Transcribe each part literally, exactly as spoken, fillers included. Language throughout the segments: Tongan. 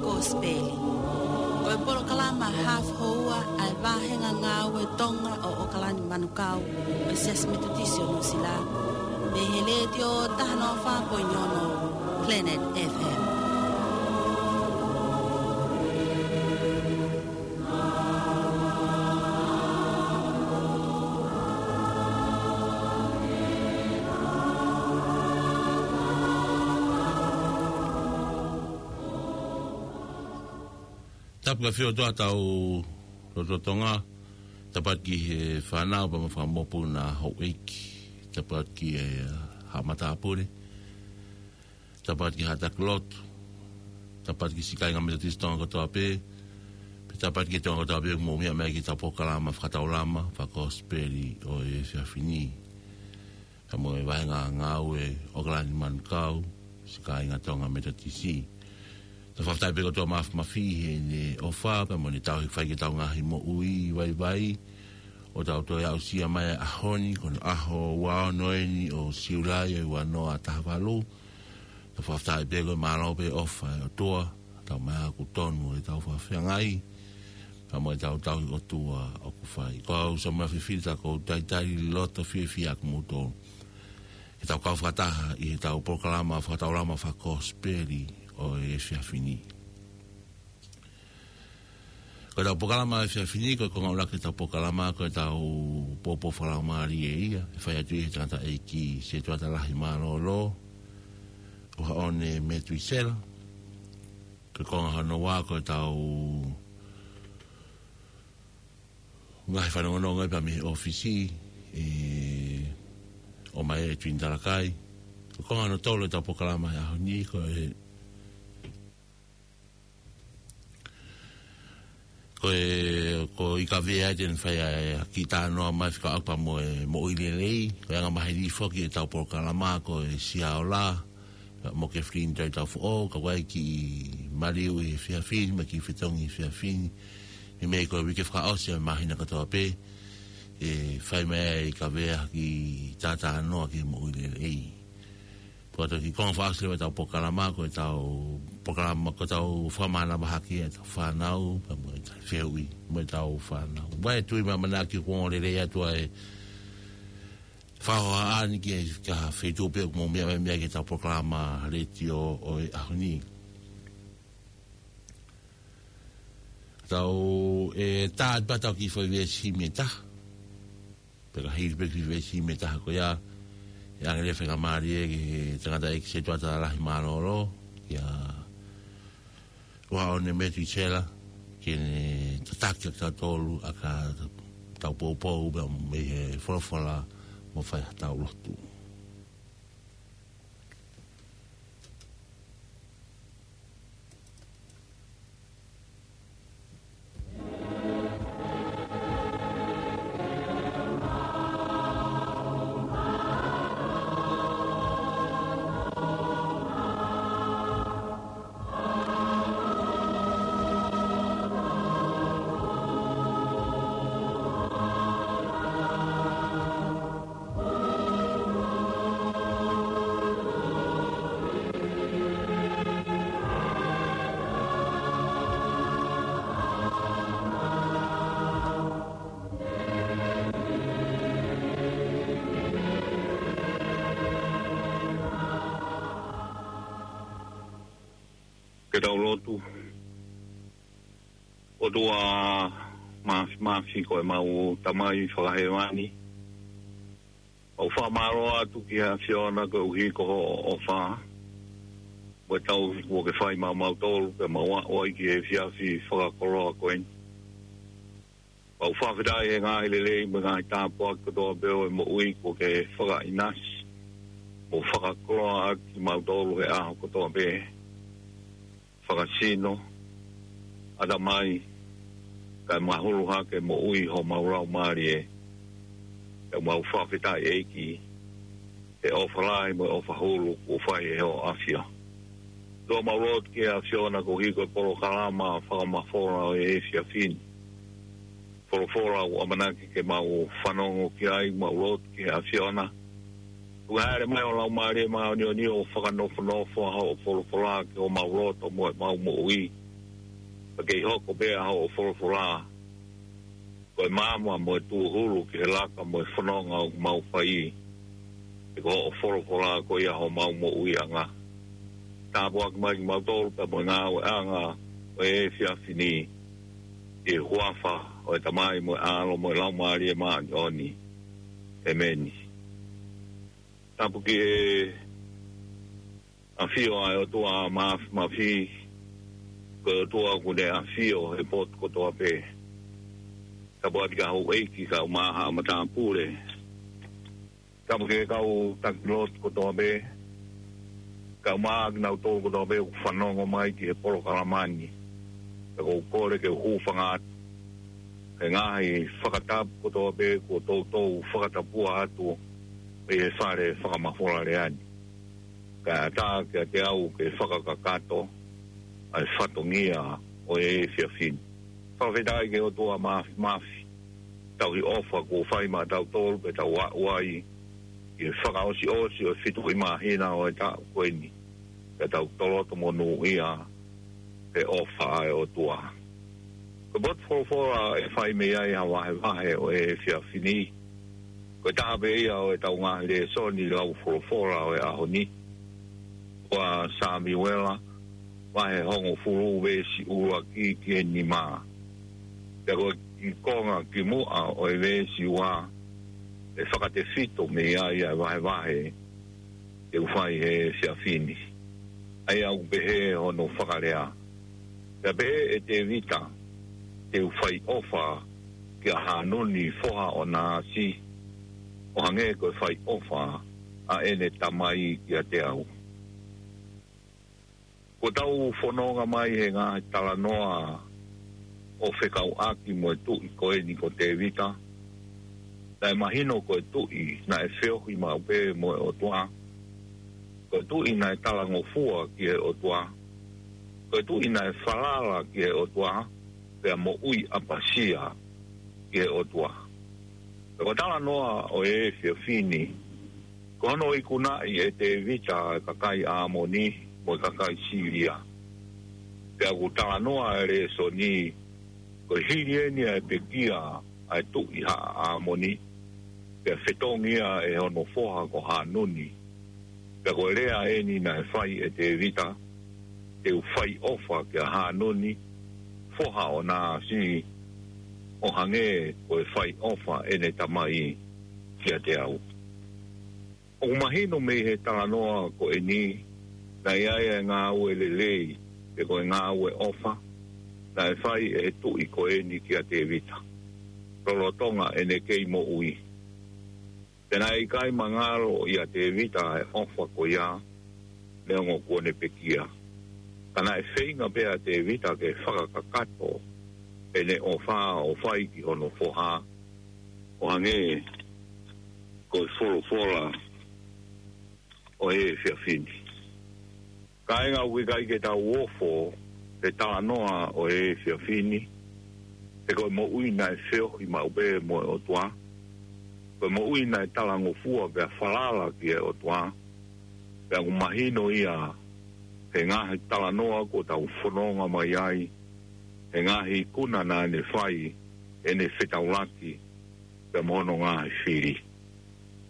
Kosipeli. Ko e polokalama hafu houa ʻa e vāhenga ngāue Tonga ʻo ʻOkalani Manukau ʻo e Siasi Metotisi ʻo Nuʻusila, mei he Letiō taha noa fā poini ono Planet F M. Tapu ki he ʻOtua ʻi hotau lotolotonga, tapu atu ki he fānau pea mo e fanga mokopuna houʻeiki, tapu atu ki he haʻa matāpule, tapu atu ki he haʻa taki lotu, tapu atu ki he siʻi kāinga Metotisi Tonga kotoa pē, pea tapu atu ki he Tonga kotoa pē ʻoku mou meʻa mai ki heʻetau polokalama fakataulama fakakosipeli ʻo e efiafi ni. Pea mo e vāhenga ngāue ʻOkalani Manukau, siʻi kāinga Tonga Metotisi. Tau fakafetaʻi pē ki he ʻOtua Māfimafi heʻene ʻofa, pea mo ʻene tauhi ke fai ki heʻetau ngaahi moʻui vaivai, ʻo tau toe aʻusia mai ʻa e ʻaho ni, ko hono ʻaho ua ono eni ʻo Siulai ʻo e ua noa taha valu. Tau fakafetaʻi pē ko e mālō pē ʻofa ʻa e ʻOtua, tau mai ʻoku tonu ʻetau fakafeangai, pea mo ʻetau tauhi ʻOtua ʻoku fai. Ko au Samuela Fifita, ʻoku ou talitali loto fiefia ʻa kimoutolu ke tau kau fakataha ʻi heʻetau polokalama fakataulama fakakosipeli ʻo e efiafi ni. Ko ʻetau polokalama efiafi ni, ko e konga ʻuluaki ʻetau polokalama, ko ʻetau poupou fakalaumālie ia, ʻe fai atu ʻe he tangataʻeiki setuata lahi mālōlō, ʻUhaʻone Metuisela. Ko e konga hono ua, ko ʻetau ngaahi fanongonongo pea mei he ʻōfisi, ʻe ʻomai ʻe Tuini Talakai. Ko e konga hono tolu ʻetau polokalama he ʻaho ni, ko e Ko e, ko e ʻIkavea ia te ne fai ʻa e kiʻi talanoa mai fekauʻaki pea mo e moʻui lelei, ko e anga maheni foki ʻetau polokalama ko e Siaola, mo Kefilini Taitaufoʻou, ka ʻoku ʻi ai e kiʻi maliu ʻi he efiafi ni, mo e kiʻi fetongi ʻi he efiafi ni, ʻi he meʻa ko e uike fakaʻosi ʻo e māhina kotoa pē, ʻe fai mai ʻe he ʻIkavea ha kiʻi talanoa ki he moʻui lelei. Pea ko e kiʻi konga fakaʻosi leva ʻetau polokalama, ko ʻetau polokalama, ko ʻetau fakamanavahē ki heʻetau fānau, pea mo ʻetau fehuʻi mo ʻetau fānau. Pea ʻe tui mai ʻamanaki kuo ongo lelei atu ʻa e fakahohaʻa ni ki he, ki he feituʻu pē ʻoku mou meʻa mai ki heʻetau polokalama letiō ʻo e ʻaho ni. Tau, ʻe tā atu pē ʻetau kiʻi foʻi veesi mei he taha. Pea ka hili pē kiʻi veesi mei he taha ko ia, ʻe ʻoange leva e faingamālie ki he tangataʻeiki setuata lahi mālōlō, kia ʻUhaʻone Metuisela, ke ne tataki kitautolu ʻaki ʻetau poupou pea mei he folofola mo fai haʻatau lotu. Ke tau lotu. ʻOtua Māfimafi, ko ʻemau Tamai Fakahēvani, ʻoku fakamālō atu ki he ʻAfiona koeʻuhi ko hoʻo ʻofa mo e tauhi kuo ke fai maʻamautolu ke mau aʻu ai ki he efiafi fakakoloa ko eni. ʻOku fakafetaʻi he ngaahi lelei mo e ngaahi tāpuaki kotoa pē ʻo e moʻui kuo ke fakaʻinasi mo fakakoloa ʻaki kimautolu he ʻaho kotoa pē. Fakasino, ʻatamai, kae mahulu hake moʻui homau laumālie. ʻOku mau fakafetaʻi ʻEiki he ʻofa lahi mo e ʻofa hulu kuo fai ʻe hoʻo ʻAfio. ʻOtua, mau lotu ki he ʻAfiona koeʻuhi ko e polokalama fakamafola ʻo e efiafi ni. Folofola ʻoku ʻamanaki ke mau fanongo ki ai, mau lotu ki he ʻAfiona. Tuku ke hāʻele mai ho Laumālie Māʻoniʻoni ʻo fakanofonofo ʻa hoʻo folofola ki homau loto mo ʻemau moʻui. Pea kei hoko pē ʻa hoʻo folofola ko e maama mo e tūhulu ki he laka mo e fononga ʻoku mau fai, he ko hoʻo folofola ko ia homau moʻuiʻanga. Tāpuaki mai kimautolu pea mo e ngāueʻanga ʻo e efiafi ni, ʻi he huafa ʻo e Tamai mo e ʻAlo mo e Laumālie Māʻoniʻoni. ʻEmeni. Tapu ki he ʻafio ʻa e ʻOtua Māfimafi, ko e ʻOtua ʻoku ne ʻafio he potu kotoa pē. Tapu atu ki he houʻeiki, kau mahaʻa matāpule. Tapu ki he kau taki lotu kotoa pē. Kau mahaʻa kinautolu kotoa pē ʻoku fanongo mai ki he polokalama ni. Pea ʻoku ou kole ke u hūfanga atu he ngaahi fakatapu kotoa pē kuo toutou fakatapua atu ʻi he fale fakamafola lea ni. Kae ʻatā kiate au ke fakakakato ʻa e fatongia ʻo e efiafi ni. Fakafetaʻi ki he ʻOtua Māfimafi, tauhi ʻofa kuo fai maʻatautolu pea tau aʻu ai ki he fakaʻosiʻosi ʻo e fitu ʻi māhina ʻo e taʻu ko eni, pea tau toloto monūʻia he ʻofa ʻa e ʻOtua. Ko e potu folofola ʻe fai mei ai ha vahevahe ʻo e efiafi ni, ko e taha pē ia ʻo ʻetau ngaahi lēsoni lau folofola ʻo e ʻaho ni, ko ʻa Samiuela, vahe hongofulu, veesi ʻuluaki ki he nima. Pea ko e kiʻi konga kimuʻa ʻo e veesi ua, ʻe fakatefito mei ai ʻa e vahevahe te u fai he efiafi ni. ʻA ia ʻoku pehē hono fakalea: Pea pehē ʻe Tēvita, te u fai ʻofa kia Hanuni foha ʻo Naasi, ʻo hangē ko e fai ʻofa ʻa ʻene tamai kiate au. Kuo tau fononga mai he ngaahi talanoa ʻo fekauʻaki mo e tuʻi ko eni ko Tēvita. Naʻe mahino ko e tuʻi naʻe feohi maʻu pē mo e ʻOtua. Ko e tuʻi naʻe talangofua ki he ʻOtua. Ko e tuʻi naʻe falala ki he ʻOtua, pea moʻui ʻapasia ki he ʻOtua. Pea ko e talanoa ʻo e efiafi ni, ko hono ikunaʻi ʻe Tēvita ʻa e kakai ʻAmoni mo e kakai Sīlia. Pea ʻoku talanoa ʻa e lēsoni, ko e hili eni ʻa e pekia ʻa e tuʻi haʻa ʻAmoni, pea fetongi ia ʻe hono foha ko Hanuni. Pea ko e lea eni naʻe fai ʻe Tēvita: Te u fai ʻofa kia Hanuni foha ʻo Naasi, ʻo hangē ko e fai ʻofa ʻene tamai kiate au. ʻOku mahino mei he talanoa ko eni, naʻe ʻi ai ʻa e ngāue lelei, pe ko e ngāue ʻofa, naʻe fai ʻe he tuʻi ko eni kia Tēvita lolotonga ʻene kei moʻui. Pea naʻe ʻikai mangalo ʻia Tēvita ʻa e ʻofa ko ia, neongo kuo ne pekia. Ka naʻe feinga pē ʻa Tēvita ke fakakakato ʻene ʻofa ʻo fai ki hono foha, ʻo hangē ko e folofola ʻo e efiafi ni. Kāinga, ʻoku ʻikai ke tau ofo he talanoa ʻo e efiafi ni, he ko e moʻui naʻe feohi maʻu pē mo e ʻOtua. Ko e moʻui naʻe talangofua pea falala ki he ʻOtua. Pea ʻoku mahino ia he ngaahi talanoa kuo tau fononga mai ai, he ngaahi ikuna naʻa ne fai ʻi heʻene fetaulaki pea mo hono ngaahi fili.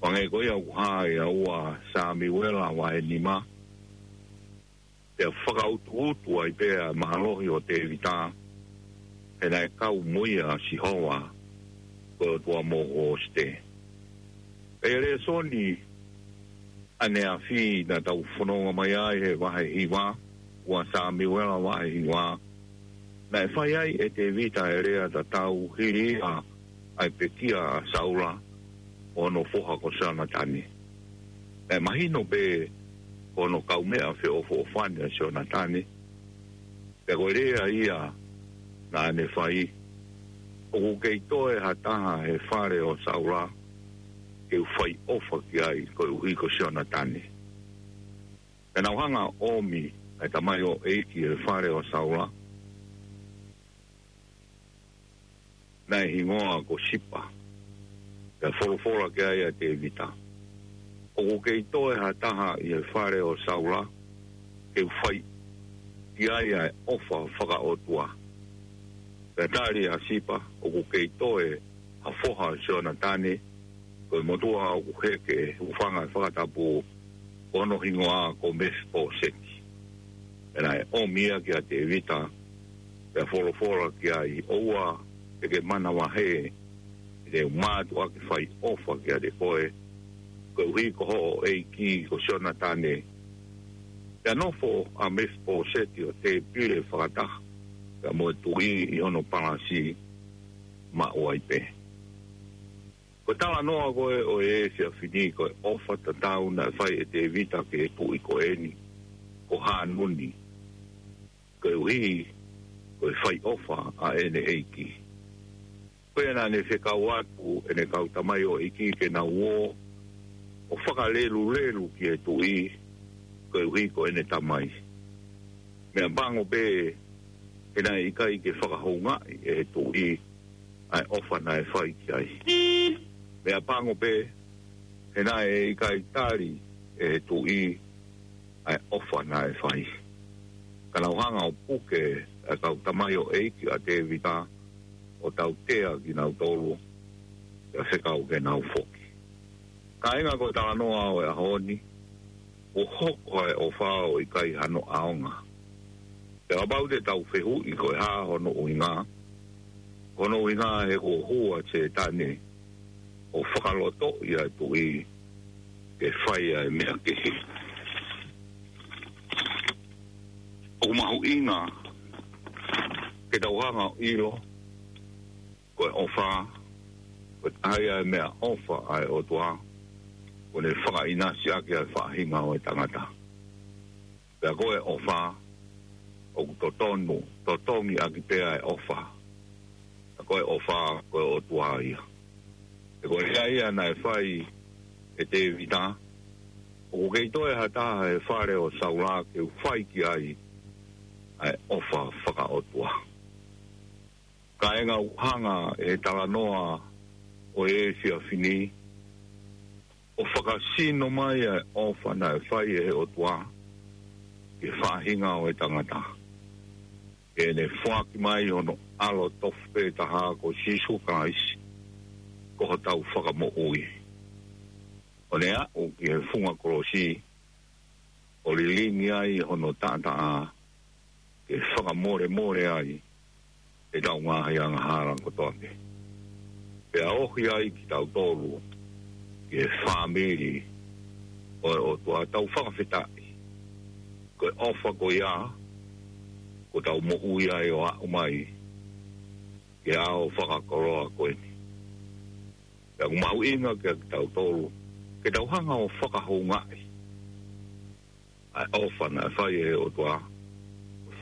Hangē ko ia ʻoku hā ʻia ua Samiuela vahe nima, pea fakautuutu ai pē ʻa e mālohi ʻo Tēvita, he naʻe kau mo ia ʻa Sihova, ko e ʻOtua moʻui ʻo Sihova. ʻI he lēsoni ʻaneafi naʻa tau fononga mai ai he vahe hiva, ua Samiuela vahe hiva, naʻe fai ai ʻe Tēvita e lea tatau hili ia ʻa e pekia ʻa Saula ʻo hono foha ko Sionatane. Naʻe mahino pē ko hono kaumeʻa feʻofoʻofani ʻa Sionatane. Pea ko e lea ia naʻa ne fai: ʻOku kei toe ha taha he fale ʻo Saula ke u fai ʻofa ki ai koeʻuhi ko Sionatane. Pea naʻa nau hanga ʻo ʻomi ʻa e tamaioʻeiki he fale ʻo Saula, naʻe hingoa ko Sipa. Pea folofola ki ai ʻa Tēvita: ʻOku kei toe ha taha ʻi he fale ʻo Saula ke u fai ki ai ʻa e ʻofa fakaʻotua. Pea tali ʻa Sipa, ʻOku kei toe ha foha ʻo Sionatane, ko e motuʻa ʻoku heke, hūfanga he fakatapu, ko hono hingoa ko Mefipōseti. Pea naʻe ʻomi ia kia Tēvita, pea folofola ki ai, ʻOua te ke manavahē, te u mātuʻaki fai ʻofa kiate koe, koeʻuhi ko hoʻo ʻeiki ko Sionatane. Pea nofo ʻa Mefipōseti ʻo tēpile fakataha pea mo e tuʻi ʻi hono palasi, maʻu ai pē. Ko e talanoa ko ē ʻo e efiafi ni, ko e ʻofa tatau naʻe fai ʻe Tēvita ki he tuʻi ko eni, ko Hanuni, koeʻuhi ko e fai ʻofa ʻa ʻene ʻeiki. Ko ia naʻa ne fekau atu ʻene kau tamaioʻeiki ke nau ō ʻo fakalelulelu ki he tuʻi, koeʻuhi ko ʻene tamai. Meʻapango pē he naʻe ʻikai ke fakahoungaʻi ʻe he tuʻi ʻa e ʻofa naʻe fai ki ai. Meʻapango pē he naʻe ʻikai tali ʻe he tuʻi ʻa e ʻofa naʻe fai. Ka nau hanga ʻo puke ʻa e kau tamaioʻeiki ʻa Tēvita ʻo tautea kinautolu, pea fekau ke nau foki. Kāinga, ko e talanoa ʻo e ʻaho ni, ʻoku hoko ʻa e ʻofa ʻo ʻikai hano ʻaonga. Pea kapau te tau fehuʻi ko e hā hono ʻuhinga, hono ʻuhinga he kuo hū ʻa Sētane ʻo fakalotoʻi ʻa e tuʻi ke fai ʻa e meʻa kehe. ʻOku mahuʻinga ke tau hanga ʻo ʻilo, ko e ʻofa, ko e taha ia e meʻaʻofa ʻa e ʻOtua, ʻoku ne fakaʻinasi ʻaki ʻa e faʻahinga ʻo e tangata. Pea ko e ʻofa, ʻoku totonu, totongi ʻaki pē ʻa e ʻofa. Pea ko e ʻofa, ko e ʻOtua ia. He ko e lea ia naʻe fai ʻe Tēvita, ʻOku kei toe ha taha he fale ʻo Saula ke u fai ki ai ʻa e ʻofa fakaʻotua. Kāinga, ʻoku hanga ʻe he talanoa ʻo e efiafi ni ʻo fakasino mai ʻa e ʻofa naʻe fai ʻe he ʻOtua ki he faʻahinga ʻo e tangata, ke ne foaki mai hono ʻAlo tofu pē taha ko Sīsū Kalaisi, ko hotau Fakamoʻui, ʻo ne aʻu ki he funga kolosi, ʻo lilingi ai hono taʻataʻa, ke fakamolemole ai ʻetau ngaahi angahala kotoa pē. Pea ohi ai kitautolu ki he fāmili ʻo e ʻOtua. Tau fakafetaʻi. Ko e ʻofa ko ia, kuo tau moʻui ai ʻo aʻu mai ki he ʻaho fakakoloa ko eni. Pea ʻoku mahuʻinga kiate kitautolu ke tau hanga ʻo fakahoungaʻi ʻa e ʻofa naʻe fai ʻe he ʻOtua,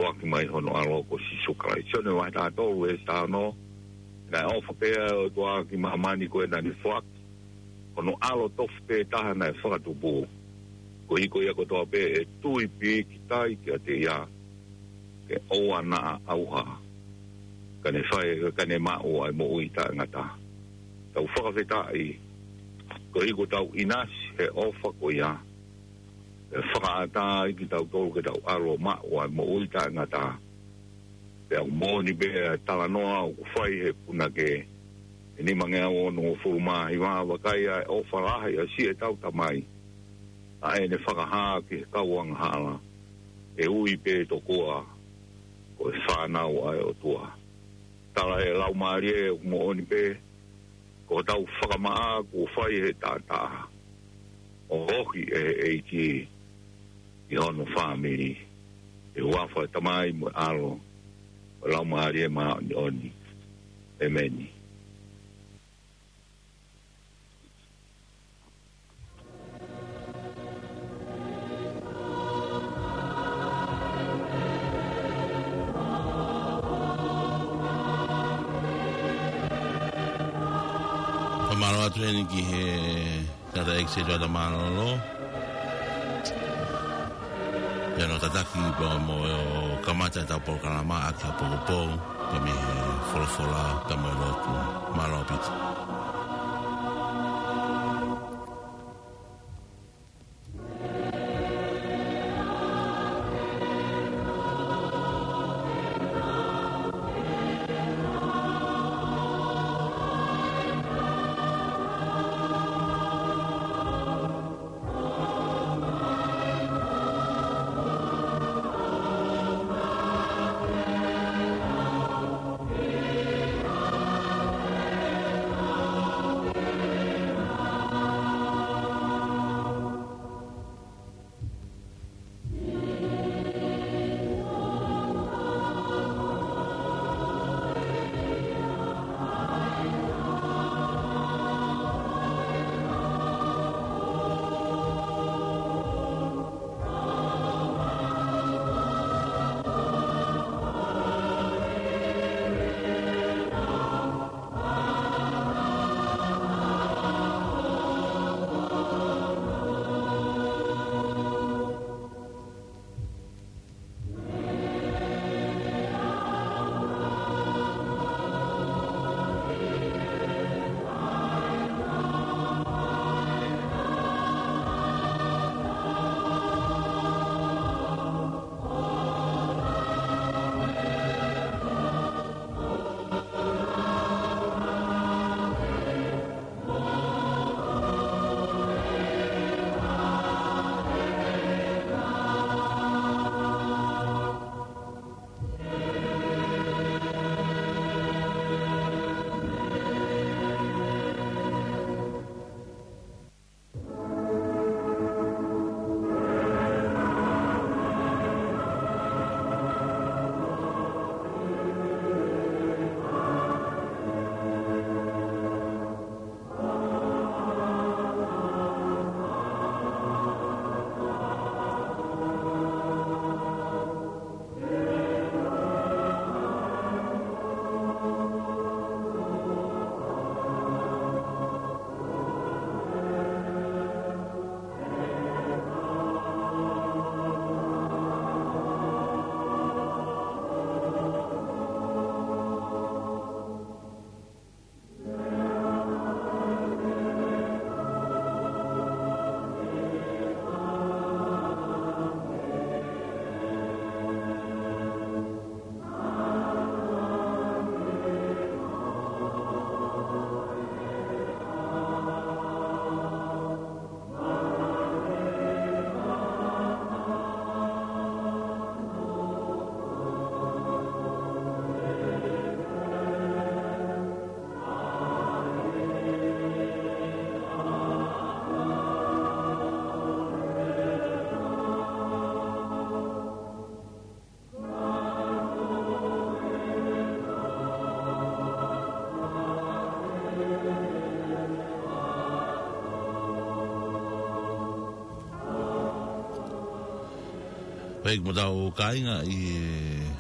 foaki mai hono ʻAlo ko Sīsū Kalaisi. Sione vahe taha tolu veesi taha ono, naʻe ʻofa pehē ʻa e ʻOtua ki māmani ko ē naʻa ne foaki hono ʻAlo tofu pē taha naʻe fakatupu, koeʻuhi ko ia kotoa pē ʻe tui pīkitai kiate ia, ke ʻoua naʻa ʻauha, ka ne fai, ka ne maʻu ʻa e moʻui taʻengata. Tau fakafetaʻi, koeʻuhi kuo tau ʻinasi he ʻofa ko ia, ʻe fakaʻatā ai kitautolu ke tau ʻalu ʻo maʻu ʻa e moʻui taʻengata. Pea ʻoku moʻoni pē ʻa e talanoa ʻoku fai he punake ʻe nimangeau onongofulu mā hiva, vakai ʻa e ʻofa lahi ʻa siʻetau Tamai, ʻa ʻene fakahā ki he kau angahala, ʻe ui pē tokua ko e fānau ʻa e ʻOtua. Tala ʻe he Laumālie ʻoku moʻoni pē, ko hotau fakamaʻa kuo fai ʻe he taʻataʻa, ʻo ohi ʻe he ʻEiki ʻi hono fāmili. ʻI he huafa ʻo e Tamai mo e ʻAlo mo e Laumālie Māʻoniʻoni. ʻEmeni. Fakamālō atu heni ki he tangataʻeiki Sētuata Mālōlō. Pea hono tataki pea mo e kamata ʻetau polokalama ʻaki ʻa e pōpoaki, pea mei he folofola, pea mo e lotu. Mālō ʻaupito. Pea ʻoku mau tau kāinga ʻi he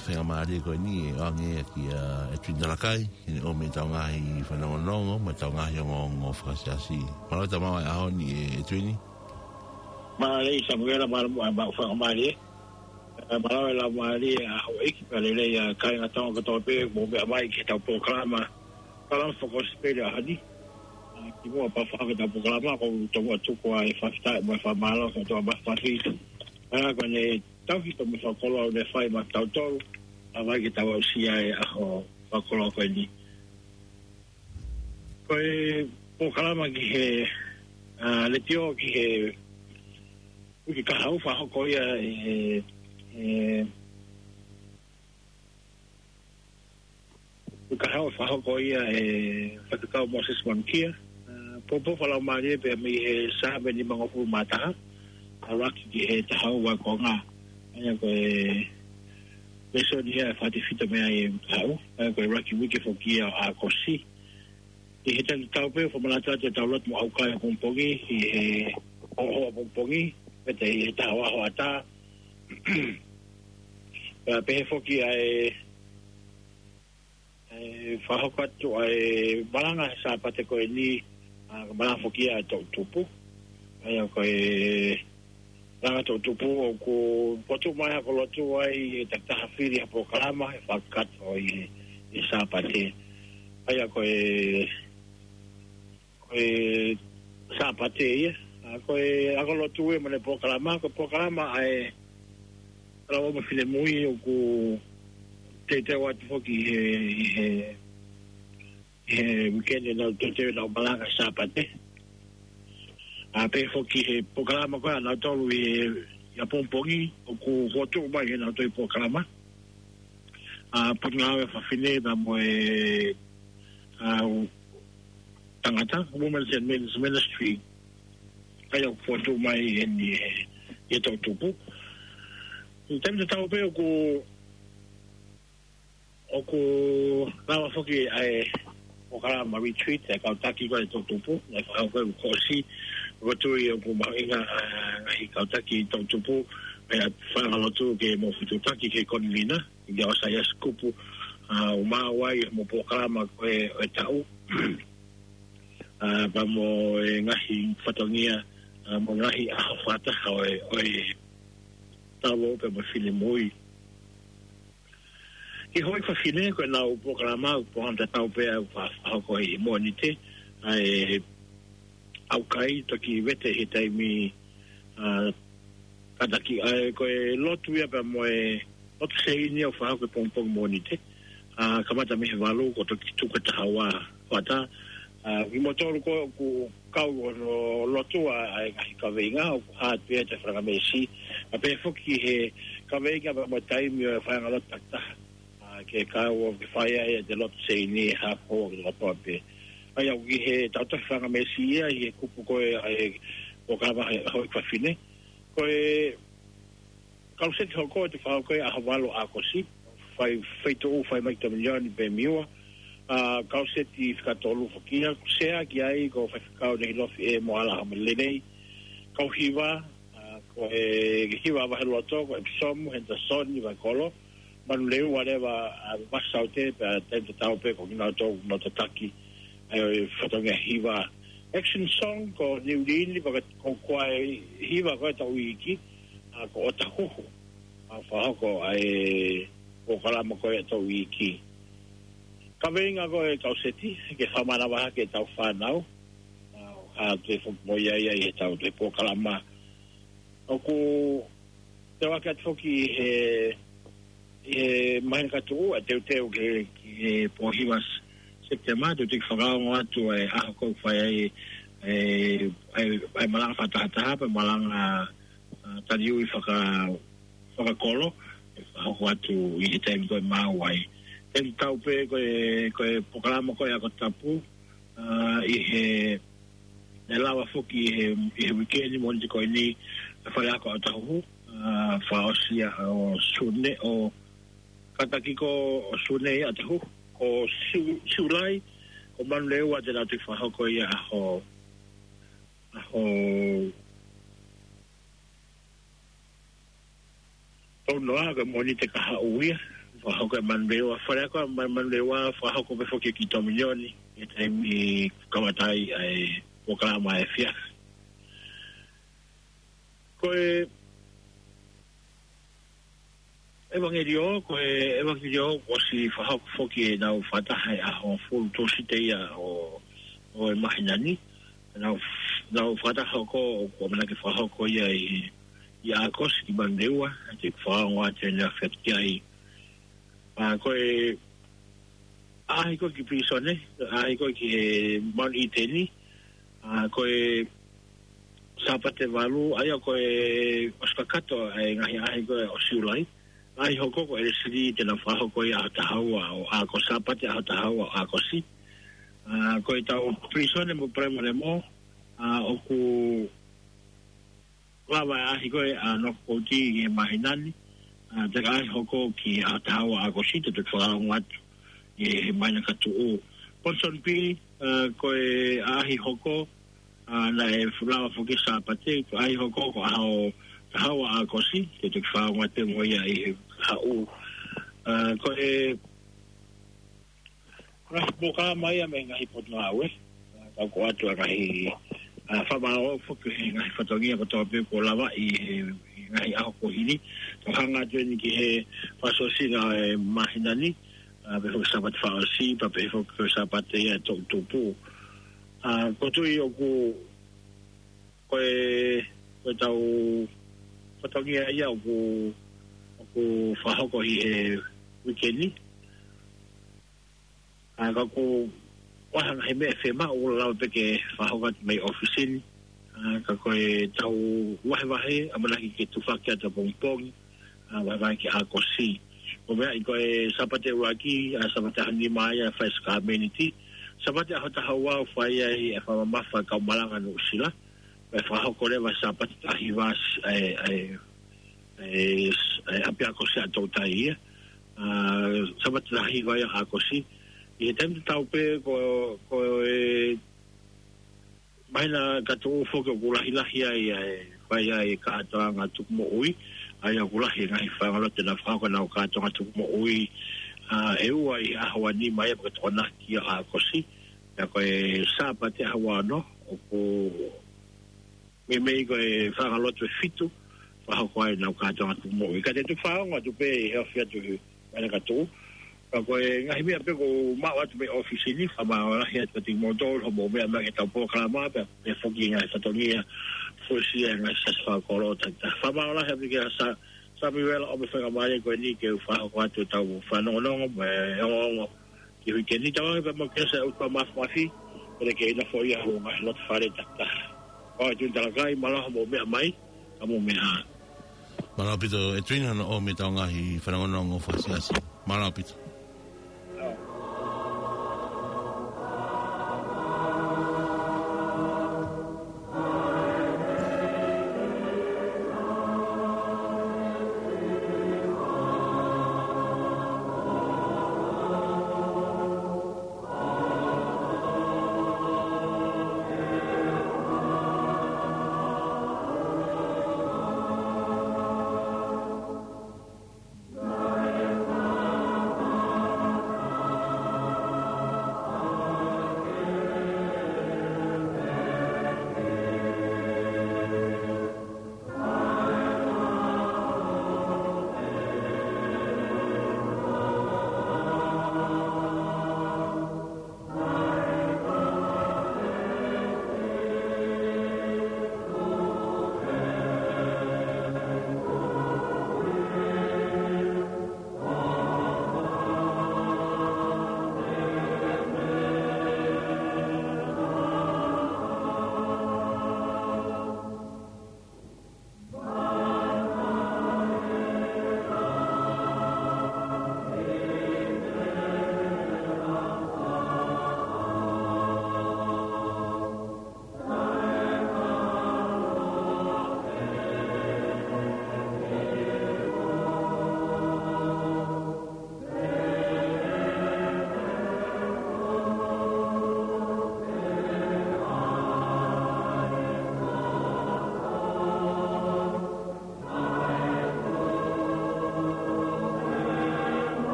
faingamālie ko eni ʻo ʻoange kiate Edwin Talakai, ʻi heʻene ʻomi ʻetau ngaahi fanongonongo, mo ʻetau ngaahi ongoongo fakasiasi. Mālō e tau maʻu e ʻaho ni ʻe Edwin. Mālō Samuela, mālō mo e maʻu faingamālie. ʻE, mālō e laumālie ʻa houʻeiki pea lelei ʻa kāinga Tonga kotoa pē, mou meʻa mai ki heʻetau polokalama. Polokalama fakakosipeli ʻaho ni. ʻA, kimuʻa pea fai ʻetau polokalama, ʻoku ou tomuʻa tuku ʻa e fakafetaʻi mo e fakamālō ki he ʻOtua Mafimafi. ʻA, ko ʻene tauhi pea mo e fakakoloa ʻoku ne fai maʻatautolu, ʻa, mai ke tau aʻusia e ʻaho fakakoloa ko eni. Ko e polokalama ki he, ʻa, letiō ki he uike kahaʻu fakahoko ia ʻe, ʻe, uike kahaʻu fakahoko ia ʻe Faifekau Moses Manukia. ʻA, poupou fakalaumālie pea mei he sāme nimangofulu mā taha, ʻa, ʻo aʻu ki he taha ua konga. ʻA ia ko e lēsoni ia ʻe fakatefito mei ai e kahaʻu. ʻA ia ko e ʻuluaki uike foki ia ʻo ʻAokosi. ʻI he taimi tatau pē, fakamanatu atu ʻetau lotu mo ʻaukai ʻapongipongi, ʻi he hoʻatā ʻapongipongi, pea ʻi he taha ua hoʻatā. Pea pehē foki ʻa e, ʻa e fakahoko atu ʻa e malanga he Sāpate ko eni, ʻa, malanga foki ʻa e toʻutupu. ʻA ia ko e malanga toʻutupu ʻoku fotu mai hako lotu ai ʻe takitaha fili ha polokalama he fakakakato ʻi he, ʻi he Sāpate. ʻA ia ko e, ko e Sāpate ia. ʻA, ko e ako lotu ia mo ʻene polokalama, ko e polokalama ʻa e Kalaua mo Finemui ʻoku teuteu atu foki he, he he uike ni ʻenau teuteu ʻenau malanga Sāpate. ʻA, pehē foki he polokalama ko ē ʻanautolu ʻi he, ʻi ʻapongipongi, ʻoku fotu mai he ʻenau toe polokalama. ʻA, Potungāue Fafine pea mo e, ʻa, tangata, Women's and Men's Ministry. ʻA ia ʻoku fotu mai ʻeni he, he toʻutupu. ʻI he taimi tatau pē ʻoku ʻoku lava foki ʻa e polokalama retreat ʻa e kau taki ko ē toʻutupu, ʻa e fakahoko ʻi he kuo ʻosi, ʻoku ou tui ʻoku mahuʻinga ʻa e ngaahi kau taki toʻutupu, ʻa e faiʻanga lotu ke mou fetuʻutaki ki he Konilina, ʻi he ʻosi ʻa e Sikupu, ʻa, ʻo maʻu ai mo e polokalama ko ē ʻo e taʻu, ʻa, pea mo e ngaahi fatongia, ʻa, mo e ngaahi ʻaho fakataha ʻo e, ʻo e talo pea mo e finemui. Ki he Houʻeiki Fafine, ko ʻenau polokalama, polokalama tatau pē ʻa e fa-, fakahoko ʻi he Mōnite, ʻa e ʻaukai, toki vete he taimi, ʻa, kātaki, ʻa e, ko e lotu ia pea mo e lotu seini ʻoku fakahoko he pongipongi Mōnite, ʻa, kamata mei he valu, kuo toki tuku he taha ua hoʻatā, ʻa, kimoutolu ko ē ʻoku kau ʻo lotu ʻa, ʻa e ngaahi kaveinga, ʻoku hā atu ia ʻi he faingamālie, ʻa, pehē foki he kaveinga pea mo e taimi ʻo e faiʻanga lotu takitaha. ʻA, ke kau ʻo ke fai ai ʻete lotu seini he ʻaho kotoa pē. ʻA ia ʻoku ʻi he tautefito faingamālie ia ʻi he kupu ko ē ʻa e polokalama he Houʻeiki Fafine. Ko e kaluseti hoko ʻe fakahoko ʻi he ʻaho valu ʻo ʻAokosi, fai, fai tuʻu, fai mai ki Dominion ʻi Pemiua. ʻA, kaluseti fika tolu foki ia, ʻoku seaki ai ko Faifekau Nehilofi ʻe Moala Hamalelei. Kau hiva, ʻa, ko e hiva ʻa Vaheloto, ko ʻEpisomu Henderson ʻi Vaikolo. Manuleua leva, ʻa, Masaute, pea taimi tatau pē ko kinautolu ʻoku nau tataki ʻa e fatongia hiva. Action song ko Niulini, pea ko, ko e hiva ko ē ʻo e taʻu iiki, ʻa, ko ʻOtahuhu, ʻa, fakahoko ʻa e polokalama ko ē ʻo e taʻu iiki. Kaveinga ko ē ʻo e kaluseti, ke fakamanavahē ki heʻetau fānau, ʻa, ʻoku hā atu foki mo ia ia ʻi heʻetau toe polokalama. ʻOku teu ake atu foki he, he māhina ka tuʻu, ʻa e teuteu ki he, ki he pō hiva Sepitema, teuteu ke fakaongo atu ʻa e ʻaho ko ē ʻoku fai ai e, e, e malanga fakatahataha, pea malanga, ʻa, taliui faka-, fakakolo, ʻe fakahoko atu ʻi he taimi ko ē ʻe maʻu ai. Taimi tatau pē ko e, ko e polokalama ko ē ʻa e Ako Tapu, ʻa, ʻi he, ʻe lava foki ʻi he, ʻi he uike ni Mōnite ko eni, ʻa e fale ako ʻa ʻOtahuhu, ʻa, fakaʻosi ia ʻo Sune, ʻo kātaki ko ē ʻo Sune ia ʻa ʻOtahuhu, ko Siu-, Siulai, ko Manuleua te nau toe fakahoko ia ʻaho, ʻaho Tau noa, ko e Mōnite kahaʻu ia. Fakahoko ʻe Manurewa, fale ako ʻa Ma-, Manurewa, fakahoko pē foki ki Tominioni, ʻi he taimi kamata ai ʻa e polokalama efiafi. Ko e ʻevangeliō, ko e ʻevangeliō, kuo ʻosi fakahoko foki ʻenau fakataha he ʻaho hongofulu, Tūsite ia ʻo, ʻo e māhina ni. Nau, nau fakataha hoko, ʻoku ʻamanaki fakahoko ia ʻi, ʻi ʻAokosi ki Manurewa, te u fakaongo atu ʻene afiafi ki ai. ʻA, ko e ʻaʻahi ko ē ki pilīsone, ʻaʻahi ko ē ki he Mount Eden, ʻa, ko e Sāpate valu, ʻa ia ko e ʻosi kakato ʻa e ngaahi ʻaʻahi ko ē ʻo Siulai. ʻAʻahi hoko ko ʻElesili te nau fakahoko ia ʻaho taha ua ʻo ʻAokosi, Sāpate ʻaho taha ua ʻo ʻAokosi. ʻA, ko e tau pilīsone mo Palaimalemō, ʻa, ʻoku lava ʻaʻahi ko ē ʻa North Coast ʻi he māhina ni, ʻa, te ʻaʻahi hoko ki he ʻaho taha ua ʻo ʻAokosi, te u toki fakaongo atu ʻi he māhina ka tuʻu. Ponsonby, ʻa, ko e ʻaʻahi hoko, ʻa, naʻe fuʻu lava foki Sāpate, ko e ʻaʻahi hoko ko e ʻaho taha ua ʻo ʻAokosi, te u toki fakaongo atu mo ia ʻi he kahaʻu. ʻA, ko e ngaahi polokalama ia mei he ngaahi potungāue. ʻA, tau ʻoatu ʻa e ngaahi, ʻa, fakamālō foki he ngaahi fatongia kotoa pē kuo lavaʻi he, he ngaahi ʻaho kuo hili. Tau hanga atu eni ki he fakaʻosinga ʻo e māhina ni, ʻa, pehē foki Sāpate fakaʻosi, pea pehē foki ko e Sāpate ia ʻe toʻutupu. ʻA, ʻoku ou tui ʻoku, ko e, ko e tau fatongia ia ʻoku, ʻoku fakahoko ʻi he uike ni. ʻA, ka ʻoku ʻi ai ha ngaahi meʻa ʻe fiemaʻu, ʻoku lava pē ke fakahoko atu mei ʻōfisi ni. ʻA, ka ko e tau vahevahe, ʻamanaki ke tufaki atu ʻapongipongi, ʻa, vahevahe ki ʻAokosi. Ko e meʻa ia ko e Sāpate ʻuluaki, ʻa, Sāpate ʻaho nima ia fai e sākalamēniti. Sāpate ʻaho taha ua ʻoku fai ai e fakamamafa ʻa e kau malanga Nuʻusila. Pea fakahoko leva Sāpate taha hiva ʻa e, ʻa e, ʻa e, ʻa e ʻapiako Siaʻatoutai ia. ʻA, Sāpate taha hiva ia ʻo ʻAokosi. ʻI he taimi tatau pē ko, ko e māhina ka tuʻu foki ʻoku lahilahi ai ʻa e fai ʻa e kātoanga tukumoʻui, ʻa ia ʻoku lahi e ngaahi faʻahinga lotu naʻa nau fakahoko ʻenau kātoanga tukumoʻui, ʻa, ʻe ua ʻi he ʻaho ua nima ia pea ko e Tokonaki ʻo ʻAokosi. Pea ko e Sāpate ʻaho ua ono, ʻoku meimei ko e faʻahinga lotu ʻe fitu, fakahoko ai ʻenau kātoanga tukumoʻui. Ka te u toki fakaongo atu pē ʻi he ofi atu he māhina ka tuʻu. Ka ko e ngaahi meʻa pē ʻoku ou maʻu atu mei ʻōfisi ni, fakamālō lahi atu kiate kimoutolu hoʻomou meʻa mai ki heʻetau polokalama, pea, pea foki ngaahi fatongia, fuesia ngaahi siasi fakakolo, ta, ta. Fakamālō lahi atu kia Sa-, Samiuela ʻo e faingamālie ko eni ke u fakahoko atu ʻetau fanongonongo, mo e ongoongo ki he uike ni. Tau ʻoange pē mo e kiʻi ʻuta mafimafi, pea ke ʻi ai foki ha ngaahi lotu fale ta, ta. ʻOi, Tuʻi Talakai, mālō hoʻomou meʻa mai, ka mou meʻa ā. Mālō ʻaupito, ʻEtuina, hono ʻomi ʻetau ngaahi fanongonongo fakasiasi. Mālō ʻaupito.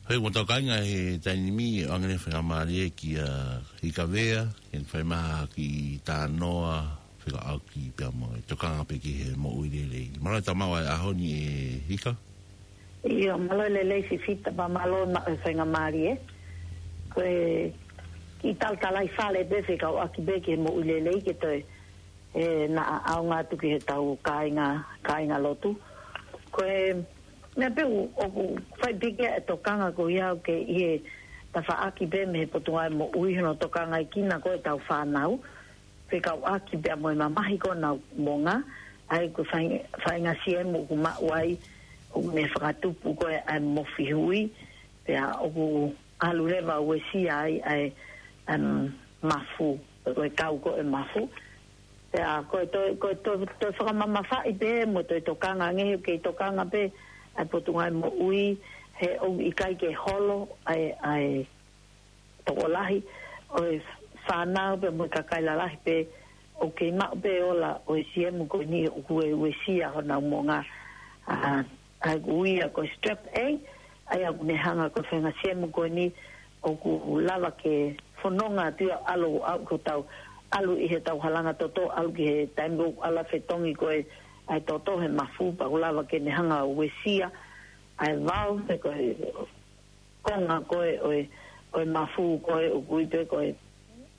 Pea ʻoku tau kāinga he taimi ni ʻoange ʻa e faingamālie kia Hika Vea, ke ne fai mai ha kiʻi talanoa fekauʻaki pea mo e tokanga pē ki he moʻui lelei. Mālō e tau maʻu ʻa e ʻaho ni ʻe Hika. ʻIo, mālō e lelei Sifita pea mālō e maʻu e faingamālie. Ko e kiʻi talatalaifale pē fekauʻaki pē ki he moʻui lelei ke toe, ē, naʻa ʻaonga atu ki he tau kāinga, kāinga lotu. Ko e meʻa pē ʻoku, ʻoku fai pē ki ai e tokanga ko ia ʻoku ʻi he tafaʻaki pē mei he Potungāue Moʻui hono tokangaʻi kinaua ko e tau fānau. Fekauʻaki pea mo e mamahi ko ē ʻenau moʻunga, ʻa ia ko e fai-, faʻahinga siemu ʻoku maʻu ai, ʻoku ne fakatupu ko ē ʻa e mofi hui, pea ʻoku ʻalu leva ʻo uesia ai ʻa e, ʻa e mafu, ko e kau ko ē mafu. Pea ko e toe, ko e toe, toe fakamamafaʻi pē mo toe tokanga ange he ʻoku kei tokanga pē ʻa e Potungāue Moʻui, he ʻoku ʻikai ke holo ʻa e, ʻa e tokolahi ʻo e fānau pea mo e kakai lalahi pē ʻoku kei maʻu pē ola ʻo e siemu ko eni ʻoku ʻi ai e uesia honau moʻunga, ʻa, ʻa ia ʻoku ui ia ko e strep A, ʻa ia ʻoku ne hanga ko e faʻahinga siemu ko eni ʻoku lava ke fononga atu ia ʻo ʻalu ʻo ko e tau ʻalu ʻi he tau halanga toto, ʻalu ki he taimi ʻoku ʻalu ʻo fetongi ko ē ʻa e toto he mafu pea ʻoku lava ke ne hanga ʻo uesia ʻa e valve pe ko e konga ko ē ʻo e, ʻo e mafu ko ē ʻoku ui pē ko e,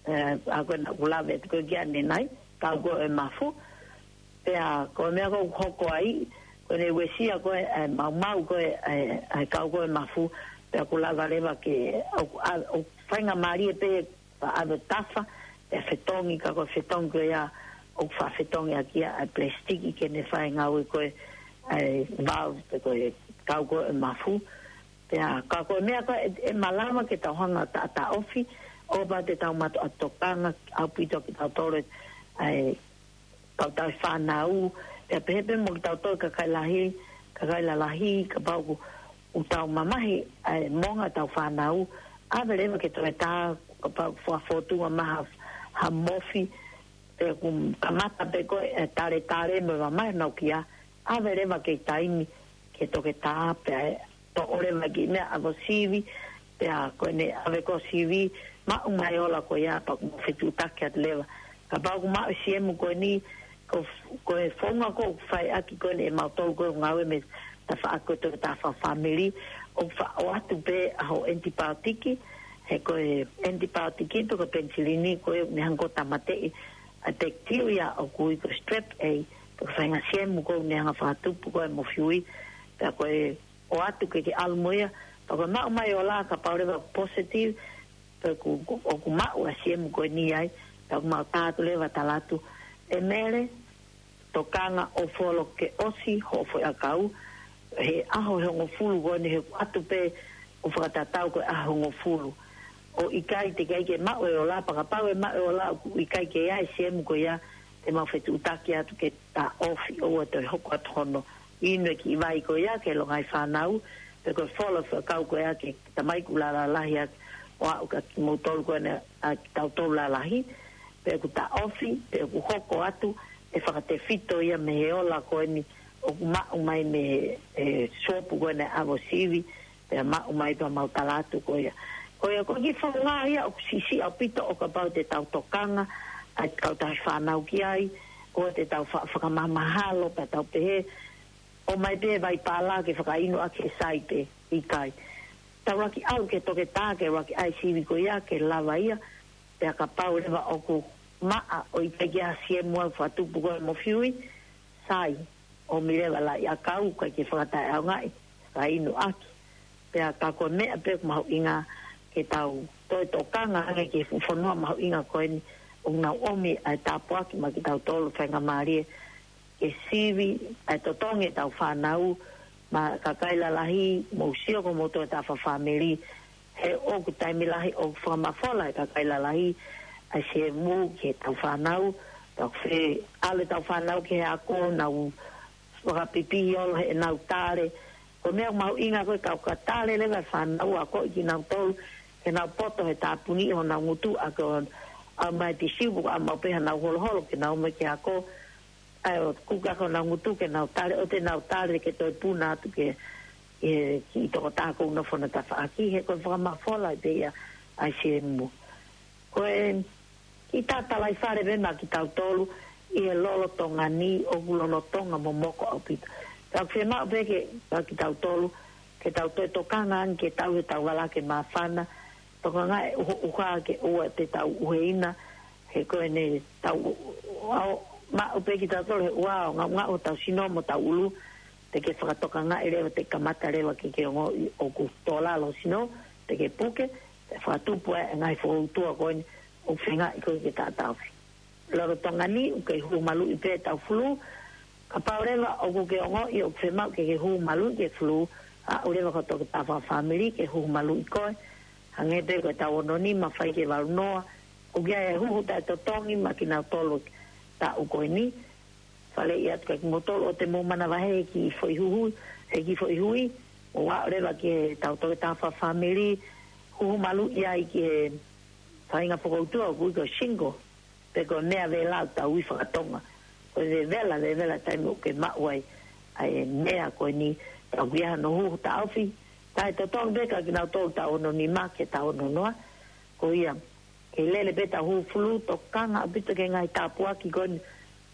ē, ʻa ko ē naʻa ku lave atu ko ē ki ai ʻanenai, kau ko ē ʻo e mafu. Pea ko e meʻa ko ē ʻoku hoko ai, ko ʻene uesia ko ē, ē, maumau ko ē, ē, ē, kau ko ē ʻo e mafu, pea ʻoku lava leva ke, ʻo, ʻa, ʻo faingamālie pē ʻa ʻave tafa, pea fetongi, ka ko e fetongi ko ia ʻoku faʻa fetongi ʻaki ia ʻa e plesitiki ke ne fai e ngāue ko ē ʻa e valve pe ko e kau ko ē ʻo e mafu. Pea ka ko e meʻa ko ē ʻe, ʻe malava ke tau hanga ʻo taʻataʻofi, ʻo kapau te tau mātuʻa tokanga ʻaupito kitautolu ʻa e kau tau fānau, pea pehē pē mo kitautolu kakai lahi, kakai lalahi, kapau ʻoku, ʻoku tau mamahi ʻa e moʻunga ʻetau fānau, ʻave leva ke toe tā, kapau ʻoku fakafōtunga mai ha, ha mofi, pea ʻoku kamata pē ko ē ʻa e taletale mo e mamahi ʻenau kia, ʻave leva ke taimi ke toki tā pea ʻe toʻo leva ki he meʻa ʻave ʻo sivi, pea ko ʻene ʻave ko ē ʻo sivi, maʻu mai e ola ko ia pea ʻoku mou fetuʻutaki atu leva. Kapau ʻoku maʻu e siemu ko eni, ko, ko e founga ko ē ʻoku fai ʻaki ko eni ʻe mautolu ko ē ʻoku ngāue mei he tafaʻaki ko ē ʻo e toketā fakafāmili, ʻoku faʻa ʻoatu pē ʻa hoʻo ʻenipaotiki, he ko e ʻenipaotiki pe ko e penisilini ko ē ʻoku ne hanga ko ē ʻo tāmateʻi ʻa e pekitilia ʻoku ui ko e strep A, pe ko e faʻahinga siemu ko ē ʻoku ne hanga ʻo fakatupu ko ē ʻa e mofi hui, pea ko e ʻoatu ke ke ʻalu mo ia, pea ko e maʻu mai e ola kapau leva ʻoku positive, pe ʻoku, ʻoku maʻu ʻa e siemu ko eni ai, pea ʻoku mau tā atu leva ʻo tala atu, ʻe Mele, tokanga ʻo folo ke ʻosi hoʻo foʻi ʻakau, he ʻaho ʻe hongofulu ko eni he ʻoku ʻoatu pē ʻo fakatatau ko e ʻaho ʻe hongofulu. ʻOku ʻikai te ke ʻai ke maʻu e ola, pea kapau ʻe maʻu e ola ʻoku ʻikai ke ʻi ai e siemu ko ia, te mau fetuʻutaki atu ke taʻofi ʻoua toe hoko atu hono inu e kiʻi vai ko ia ki he longaʻi fānau, pe ko e folo e foʻi ʻakau ko ia ki he tamaiki ʻoku lālā lahi ʻaki ʻo aʻu kia kimoutolu ko eni ʻa kitautolu lalahi, pe ʻoku taʻofi, pe ʻoku hoko atu e fakatefito ia mei he ola ko eni ʻoku maʻu mai mei he, e, suopu ko eni ʻave ʻo sivi, pea maʻu mai pea mau tala atu ko ia. Ko ia ko e kiʻi founga ia ʻoku siʻisiʻi ʻaupito ʻo kapau te tau tokanga ʻa e kau tauhi fānau ki ai, ʻoua te tau fa-, fakamahamahalo, pea tau pehē, ʻomai pē vai pala ke fakainu ʻaki he sai pē, ʻikai. Tau lava ke ʻalu ki he toketā ke lava ke ʻai e sivi ko ia ke lava ia, pea kapau leva ʻoku maʻa ʻo ʻikai ke ʻi ai ha siemu ʻoku fakatupu ko ē ʻa e mofi hui, sai, ʻomi leva e laʻi ʻakau, ʻikai ke fakataʻeʻaongaʻi, fakainu ʻaki. Pea ka ko e meʻa pē ʻoku mahuʻinga ke tau toe tokanga ange ki he fuʻu fonua mahuʻinga ko eni, ʻoku nau ʻomi ʻa e tāpuaki maʻa kitautolu faingamālie ke sivi ʻa e totongi ʻetau fānau, mo e kakai lalahi, mou sio ko moutolu ʻa e toketā fakafāmili, he ʻoku taimi lahi ʻoku fakamafola ʻe he kakai lalahi ʻa e siemu ki heʻetau fānau, tau fe-, ʻalu ʻetau fānau ki he ako, nau fakapipihi holo heʻenau tale. Ko e meʻa mahuʻinga ko e kau ka tale leva e fānau, akoʻi kinautolu ke nau poto he tāpuni ʻi honau ngutu, ʻa ko e ʻomai e tisiu pe ko e ʻomai pē haʻanau holoholo ke nau ō mai ki he ako, ʻa ia ʻo kuka ko honau ngutu ke nau tale, ʻoua te nau tale ke toe puna atu ke ʻi he kiʻi tokotaha ʻoku nofo ʻi he tafaʻaki, he ko e fakamafola pē ia ʻa e I C M. Ko e kiʻi tatalaifale pē maʻa kitautolu ʻi he lolotonga ni, ʻoku lolotonga momoko ʻaupito. Ka ʻoku fiemaʻu pē ke, maʻa kitautolu, ke tau toe tokanga ange ke tau he tau vala ke māfana, tokangaʻi e ʻuha, ʻuha ke ʻoua te tau ʻuheina, he ko ʻene tau, ʻo, maʻu pē kitautolu he ʻuha ʻo ngaʻungaʻu hotau sino mo hotau ʻulu, te ke fakatokangaʻi leva, te kamata leva ke ke ongoʻi ʻoku tō lalo ho sino, te ke puke, te fakatupu e ngaahi fokoutua ko eni ʻoku feingaʻi koe ke taʻataʻofi. Lolotonga ni, ʻoku kei hū maluʻi pē ʻetau fulū. Kapau leva ʻoku ke ongoʻi ʻoku fiemaʻu ke ke hū maluʻi ki he fulū, aʻu leva ki ho tokotaha fakafāmili ke hū maluʻi koe. Hangē pē ko ʻetau ono nima fai ki he valu noa, ʻoku ʻi ai e huhu taʻetotongi maʻa kinautolu taʻu ko eni. Faleʻi atu kia kimoutolu ʻoua te mou manavahē he kiʻi foʻi huhu, he kiʻi foʻi hui, mou aʻu leva ki he tau tokotaha fakafāmili, huhu maluʻi ai ki he faʻahinga fokoutua ʻoku ui ko e shingle, pe ko e meʻa vela ʻoku tau ui fakatonga. Ko e vevela, vevela taimi ʻoku ke maʻu ai ʻa e meʻa ko eni, ʻoku ʻi ai hano huhu taʻofi, taʻetotongi pē kia kinautolu taʻu ono nima ki he taʻu ono noa. Ko ia, ke lele pē ʻetau huhu fulū, tokanga ʻaupito ki he ngaahi tāpuaki ko eni,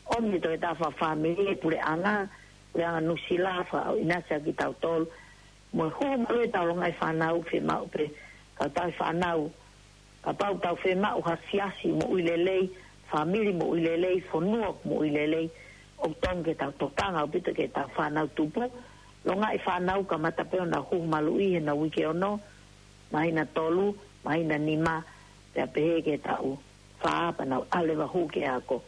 ʻomi ʻe he tokotaha fakafāmili, puleʻanga, puleʻanga Nuʻusila, fakaʻinasi ʻaki kitautolu. Mo e huhu maluʻi ʻetau longaʻi fānau, fiemaʻu pē, ka tau fānau, kapau ʻoku tau fiemaʻu ha siasi moʻui lelei, fāmili moʻui lelei, fonua moʻui lelei, ʻoku totonu ke tau tokanga ʻaupito ki heʻetau fānau tupu. Longaʻi fānau, kamata pē ʻo nau huhu maluʻi he nau uike ono, māhina tolu, māhina nima, pea pehē ki he taʻu fā pea nau ʻalu leva ʻo hū ki he ako.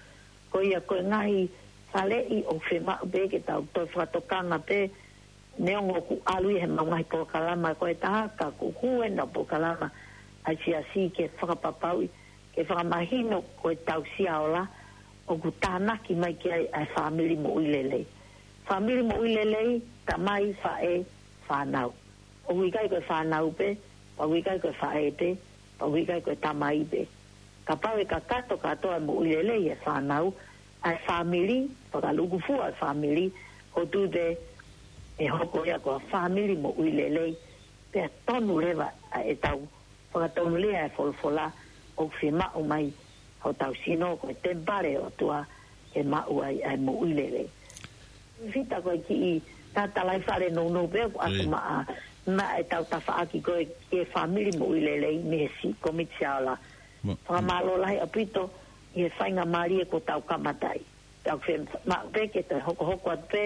Ko ia ko e ngaahi faleʻi ʻoku fiemaʻu pē ke tau toe fakatokanga pē, neongo ʻoku ʻalu ia he mau ngaahi polokalama ko e taha, ka ʻoku hū ʻenau polokalama ʻa e siasi ke fakapapauʻi, ke fakamahino ko e tausia ola ʻoku tānaki mai ki ai ʻa e fāmili moʻui lelei. Fāmili moʻui lelei, tamai, faʻē, fānau. ʻOku ʻikai ko e fānau pē, pea ʻoku ʻikai ko e faʻē pē, pea ʻoku ʻikai ko e tamai pē. Kapau ʻe kakato kātoa e moʻui lelei e fānau, ʻa e fāmili, fakalūkufua e fāmili, ʻoku ou tui pē ʻe hoko ia ko ha fāmili moʻui lelei, pea tonu leva ʻa ʻetau fakatonulia e folofola ʻoku fiemaʻu mai hotau sino ko e temipale ʻo e ʻOtua ke maʻu ai ʻa e moʻui lelei. Fita ko e kiʻi tatalaifale nounou pē ʻoku ʻoatu maʻa, maʻa ʻetau tafaʻaki ko e, ki he fāmili moʻui lelei mei he si-, kōmiti sia ola. Fakamālō lahi ʻaupito ʻi he faingamālie kuo tau kamata ai. Tau fiemaʻu pē ke toe hokohoko atu pē,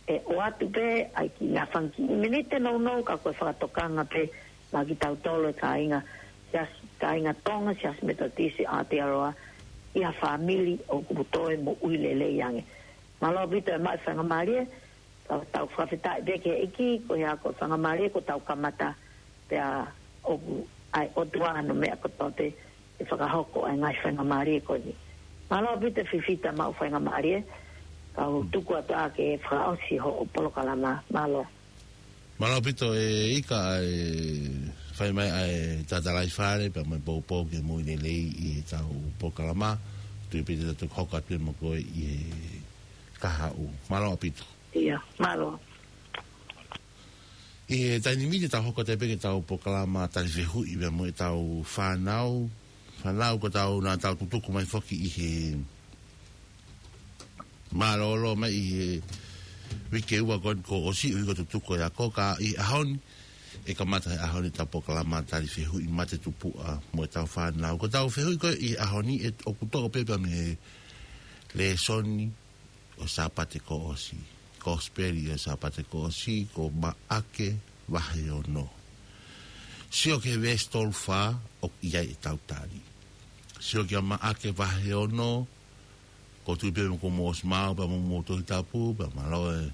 ʻe ʻoatu pē ʻa e kiʻi ngaahi fanga kiʻi miniti nounou ka ko e fakatokanga pē maʻa kitautolu e kāinga, Siasi, kāinga Tonga, Siasi Metotisi ʻAotearoa, ʻi ha fāmili ʻoku toe moʻui lelei ange. Mālō ʻaupito e maʻu faingamālie, tau, tau fakafetaʻi pē ki he ʻEiki, ko e hā ko e faingamālie kuo tau kamata, pea ʻoku ʻi ai ʻOtua hano meʻa kotoa pē ʻe fakahoko ai e ngaahi faingamālie ko eni. Mālō ʻaupito Fifita maʻu faingamālie, kau tuku atu ā ke fakaʻosi hoʻo polokalama. Mālō. Mālō ʻaupito e Ika ʻa e fai mai ʻa e tatalaifale, pea mo e poupou ki he moʻui lelei ʻi heʻetau polokalama, tui pē te tau hoko atu pē mo koe ʻi he kahaʻu. Mālō ʻaupito. ʻIa, mālō. ʻI he taimi ni te tau hoko atu pē ki heʻetau polokalama tali fehuʻi pea mo ʻetau fānau. Fānau ko ʻetau, naʻa tau tutuku mai foki ʻi he mālōlō mai ʻi he uike ua kuo ʻosi, uike tutuku ʻa e ako, ka ʻi he ʻaho ni, ʻe kamata he ʻaho ni ʻetau polokalama tali fehuʻi mate tupuʻa mo ʻetau fānau. Ko ʻetau fehuʻi ko ē ʻi he ʻaho ni ʻe ʻoku toʻo pē pea mei he lēsoni ʻo e Sāpate kuo ʻosi. Kosipeli ʻo e Sāpate kuo ʻosi, ko Maʻake vahe ono. Sio ki he veesi tolu fā, ʻoku ʻi ai ʻetau tali. Sio kia Maʻake vahe ono, ʻoku ou tui pē mo ko mo ʻosi mau, pea mo mo Tohi Tapu, pea mālō e,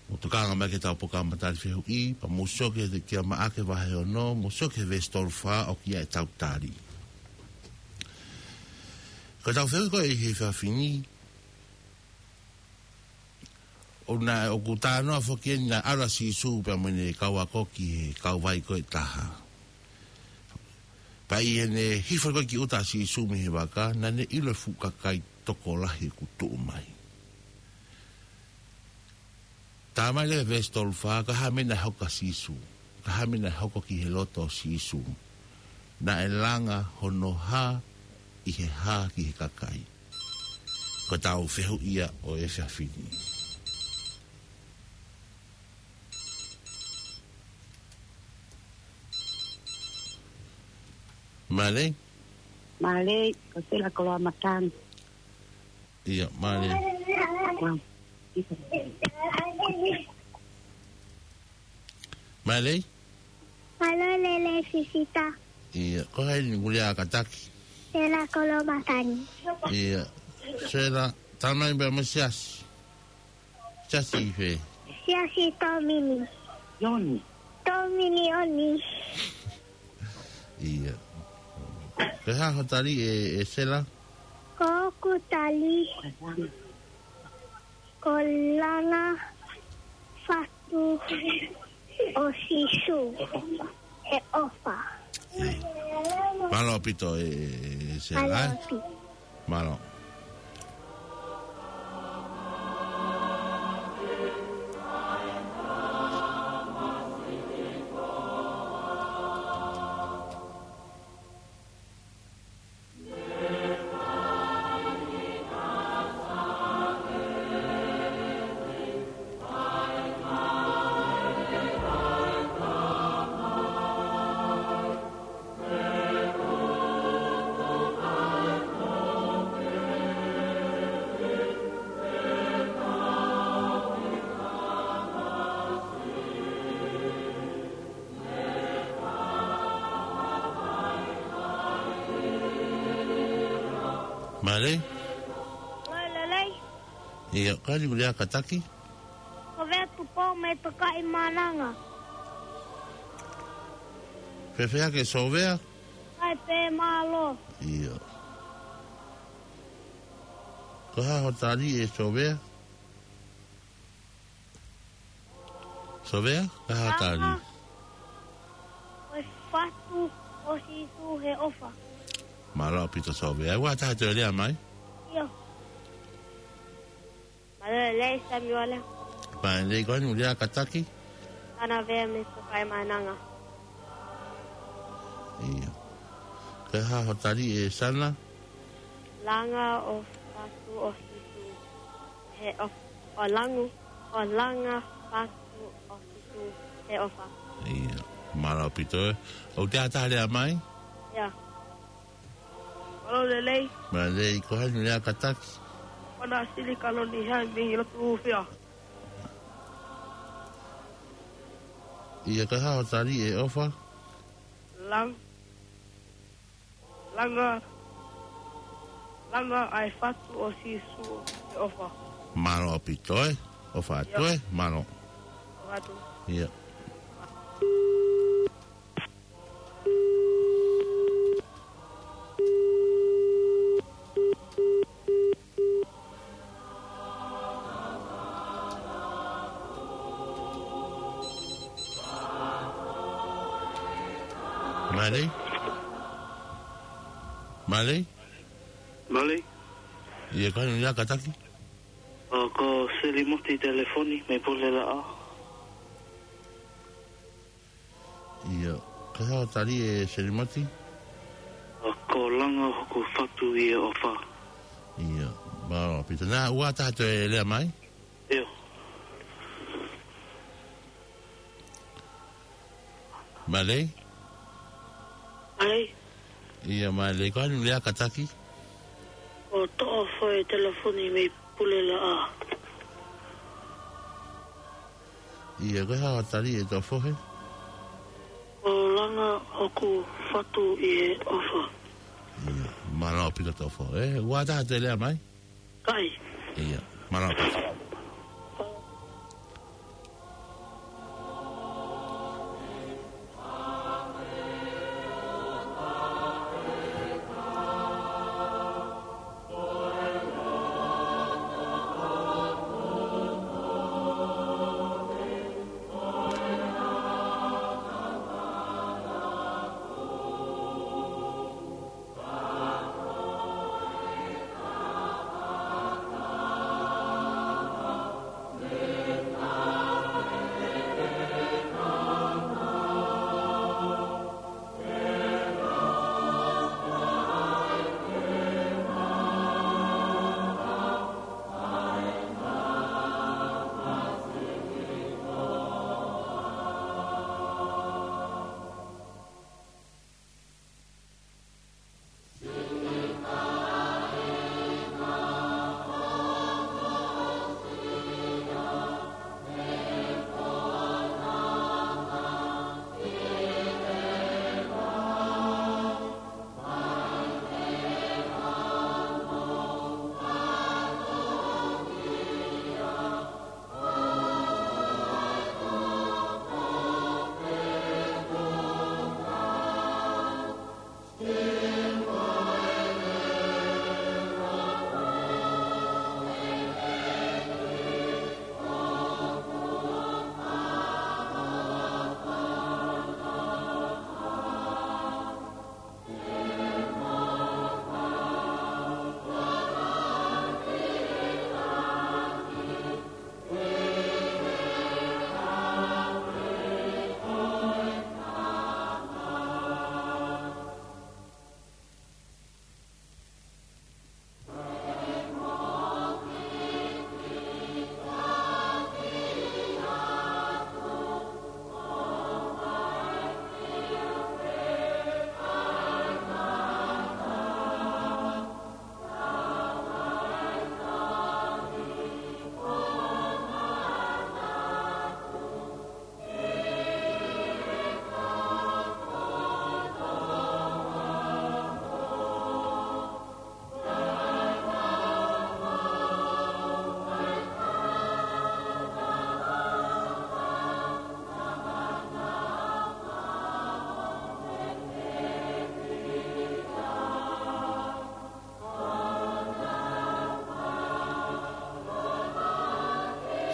mo tokanga mai ki heʻetau polokalama tali fehuʻi, pea mo sio ki he, kia Maʻake vahe ono, mo sio ki he veesi tolu fā, ʻoku ʻi ai ʻetau tali. Ko ʻetau fehuʻi ko ē ʻi he efiafi ni, ʻo naʻe ʻoku talanoa foki eni naʻe ʻalu ʻa Sīsū pea mo ʻene kau ako ki he kauvai ko ē ʻe taha. Pea ʻi heʻene hifo ko ē ki ʻuta ʻa Sīsū mei he vaka, naʻa ne ʻilo e fuʻu kakai tokolahi ʻoku tuʻu mai. Talamai leva veesi tolu fā, ko e hā e meʻa naʻe hoko kia Sīsū? Ko e hā e meʻa naʻe hoko ki he loto ʻo Sīsū? Naʻe langa hono hā ʻi he hā ki he kakai? Ko ʻetau fehuʻi ia ʻo e efiafi ni. Mālō. Mālō, ko Sela Koloamatangi. ʻIo, mālō. Ua. Mālō. Mālō lelei Sisita. ʻIo, ko hai ʻoku lea kātaki? Sela Koloamatangi. ʻIo, Sela, talamai pē mo e siasi. Siasi fē? Siasi Tōmini. Ioni. Tōmini Ioni. ʻIo. Ko e hā hoʻo tali ē, ē Sela? Ko hoku tali ko e langa fatu ʻo Sīsū he ʻofa. ʻIo. Mālō ʻaupito ē, ē, ē Sela, ē? Mālō ʻaupito. Mālō. Mālō. Mālō lelei. ʻIo, ko hai ʻoku lea kātaki? Sovea Tupou mei Tokaimaʻananga. Fēfē hake Sovea? ʻAi pē, mālō. ʻIo. Ko e hā hoʻo tali ē Sovea? Sovea, ko e hā hoʻo tali? Langa ko e fatu ʻo Sīsū he ʻofa. Mālō ʻaupito Sovea. Ua taha toe lea mai. ʻIo. Mālō lelei Samiuele. Mālō lelei, ko hai ʻoku lea kātaki? Sana Vea mei Tokaimaʻananga. ʻIo. Ko e hā hoʻo tali ē Sana? Langa ʻo fatu ʻo Sīsū he ʻof-, ʻo langu, ʻo langa fatu ʻo Sīsū he ʻofa. ʻIo. Mālō ʻaupito ē. ʻOku toe ʻi ai ha taha lea mai? ʻIo. Mālō lelei. Mālō lelei, ko hai ʻoku lea kātaki? Ko Nasili Kaloni Hai mei Lotofia. ʻIo, ko e hā hoʻo tali ē ʻofa? Lang-, langa, langa ʻa e fatu ʻo Sīsū he ʻofa. Mālō ʻaupito ē. ʻOfa atu ē. ʻIo. Mālō. ʻOfa atu. ʻIo. Mālō. Mālō. Mālō. ʻIo, ko hai ʻoku lea kātaki? ʻO, ko Selimoti Telefoni mei Pulelaʻā. ʻIo, ko e hā hoʻo tali ē Selimoti? ʻO, ko e langa hoku fatu ʻi he ʻofa. ʻIo, mālō ʻaupito. Naʻa, ua taha toe lea mai? ʻIo. Mālō. Mālō. ʻIo, mālō. Ko hai ʻoku lea kātaki? Ko Toʻofohe Telefoni mei Pulelaʻā. ʻIo, ko e hā hoʻo tali ē Toʻofohe? ʻO langa hoku fatu ʻi he ʻofa. ʻIo, mālō ʻaupito Toʻofohe. Ua taha toe lea mai? ʻIkai. ʻIo, mālō ʻaupito.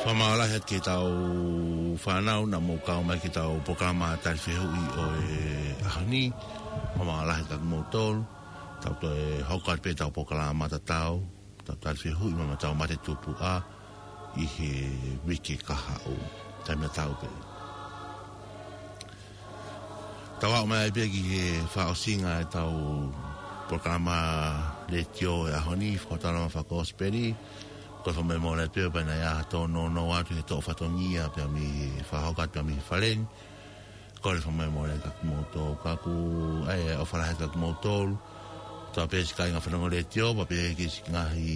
Fakamālō lahi atu ki heʻetau fānau naʻa mou kau mai ki heʻetau polokalama tali fehuʻi ʻo e ʻaho ni. Fakamālō lahi atu kiate kimoutolu. Tau toe hoko atu pē ʻetau polokalama tatau, tau tali fehuʻi mo ʻetau mate tupuʻa ʻi he uike kahaʻu. Taimi tatau pē. Tau aʻu mai ai pē ki he fakaʻosinga ʻetau polokalama letiō ʻo e ʻaho ni, fakataulama fakakosipeli. Kole fakamolemole pē ʻo kapau naʻe ʻi ai ha tōnounou atu he toʻo fatongia pea mei he fakahoko atu pea mei he fale ni. Kole fakamolemole kiate kimoutolu, ka ʻoku ʻi ai e ʻofa lahi kiate kimoutolu. Tau pē siʻi kāinga fanongo letiō, pea pehē ki he siʻi ngaahi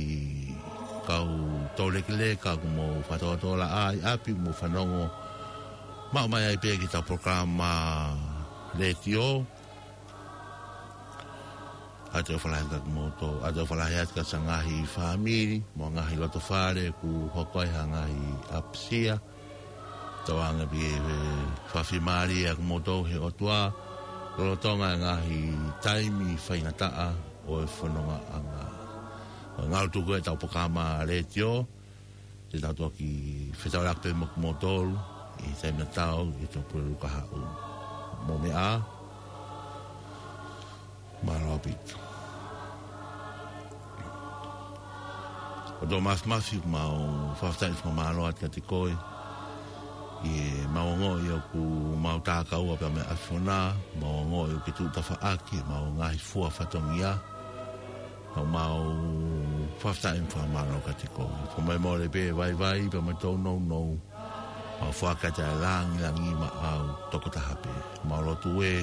kau toulekeleka ʻoku mou fakatōtōlaʻā ʻi ʻapi, mou fanongo. Maʻu mai ai pē ki heʻetau polokalama letiō. ʻOatu e ʻofa lahi kiate kimoutolu, ʻoatu e ʻofa lahi atu ki he ngaahi fāmili, mo e ngaahi loto fale ʻoku hoko ai ha ngaahi ʻapisia. Tauange pē ke fakafiemālieʻi kimoutolu ʻe he ʻOtua, lolotonga e ngaahi taimi faingataʻa ʻo e fonongaʻanga. ʻO ngalo tuku ʻetau polokalama letiō, te tau toki fetaulaki pē mo kimoutolu ʻi he taimi tatau ʻi he Tuʻapulelulu kahaʻu. Mou meʻa ā. Mālō ʻaupito. ʻOtua Māfimafi, mau fakafetaʻi fakamālō atu kiate koe. ʻI heʻemau ongoʻi ʻoku mau takaua pea mo e ʻAfiona, mau ongoʻi ʻoku ke tuʻu tafaʻaki ʻemau ngaahi fua fatongia. Ka mau fakafetaʻi mo fakamālō kiate koe. Fakamolemole pē vaivai pea mo e tōnounou. Mau foaki atu e lāngilangi maʻau tokotaha pē. Mau lotu ē,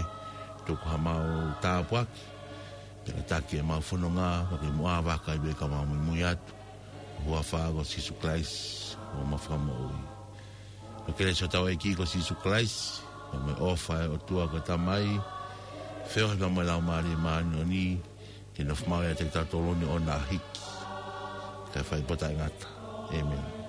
tuku haʻamau tāpuaki, pea taki ʻemau fononga, pea ke muʻa vakai pē ka mau muimui atu. Huafa ko Sīsū Kalaisi, ko homau Fakamoʻui. Ko e kelesi ʻa hotau ʻEiki ko Sīsū Kalaisi, pea mo e ʻofa ʻa e ʻOtua ko e Tamai, feohi pea mo e Laumālie Māʻoniʻoni, ke nofo maʻu ʻiate kitautolu ʻo aʻu ki he ʻaho ʻe hiki, kae fai pē ʻo taʻengata. ʻĒmeni.